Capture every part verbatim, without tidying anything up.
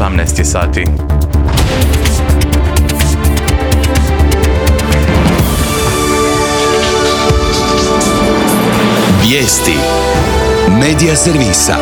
osamnaest je sati. Vijesti Medija servisa.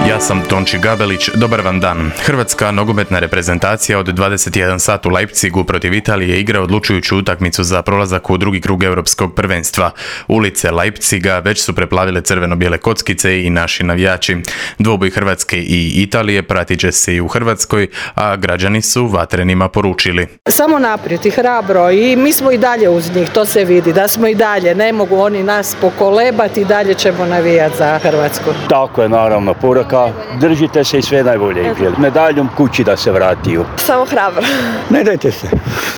Ja sam Tonči Gabelić, dobar vam dan. Hrvatska nogometna reprezentacija od dvadeset jedan sat u Leipzigu protiv Italije igra odlučujuću utakmicu za prolazak u drugi krug europskog prvenstva. Ulice Leipziga već su preplavile crveno-bijele kockice i naši navijači. Dvoboj Hrvatske i Italije pratit će se i u Hrvatskoj, a građani su vatrenima poručili: samo naprijed i hrabro, i mi smo i dalje uz njih, to se vidi, da smo i dalje, ne mogu oni nas pokolebati, i dalje ćemo navijati za Hrvatsku. Tako je, naravno, poruka, držite se i sve najbolje. Medaljom kući da se vratiju. Samo hrabro. Ne dajte se.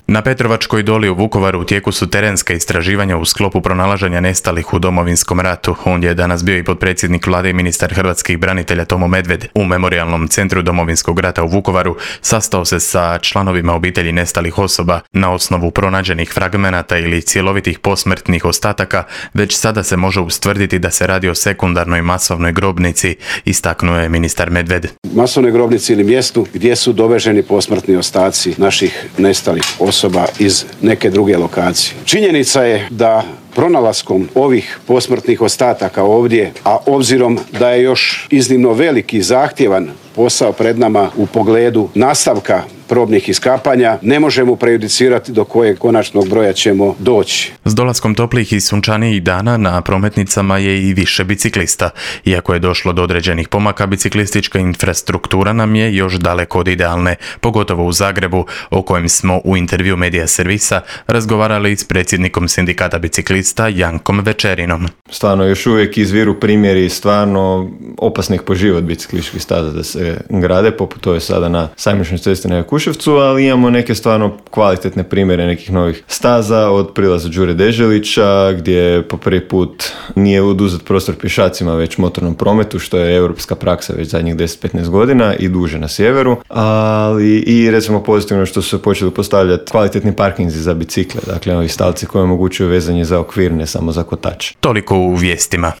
Na Petrovačkoj doli u Vukovaru u tijeku su terenska istraživanja u sklopu pronalaženja nestalih u Domovinskom ratu. Ondje je danas bio i potpredsjednik vlade i ministar hrvatskih branitelja Tomo Medved. U Memorijalnom centru Domovinskog rata u Vukovaru sastao se sa članovima obitelji nestalih osoba. Na osnovu pronađenih fragmenata ili cjelovitih posmrtnih ostataka već sada se može ustvrditi da se radi o sekundarnoj masovnoj grobnici, istaknuo je ministar Medved. Masovnoj grobnici ili mjestu gdje su doveženi posmrtni ostaci naših nestalih osoba iz neke druge lokacije. Činjenica je da pronalaskom ovih posmrtnih ostataka ovdje, a obzirom da je još iznimno veliki i zahtjevan posao pred nama u pogledu nastavka probnih iskapanja, ne možemo prejudicirati do kojeg konačnog broja ćemo doći. S dolaskom toplih i sunčanijih dana na prometnicama je i više biciklista. Iako je došlo do određenih pomaka, biciklistička infrastruktura nam je još daleko od idealne, pogotovo u Zagrebu, o kojem smo u intervju Medija servisa razgovarali s predsjednikom sindikata biciklista Jankom Večerinom. Stvarno još uvijek izviru primjeri stvarno opasnih po život biciklističkih staza da se grade, poput ove sada na Sajmišnoj cesti na Jakuševcu, ali imamo neke stvarno kvalitetne primjere nekih novih staza, od prilaza Đure Deželića, gdje po prvi put nije oduzet prostor pješacima već motornom prometu, što je europska praksa već zadnjih deset do petnaest godina i duže na sjeveru, ali i recimo pozitivno što su se počeli postavljati kvalitetni parkinzi za bicikle, dakle ovi stavci koji omogućuju vezanje za okvir, ne samo za kotač. Toliko u vijestima.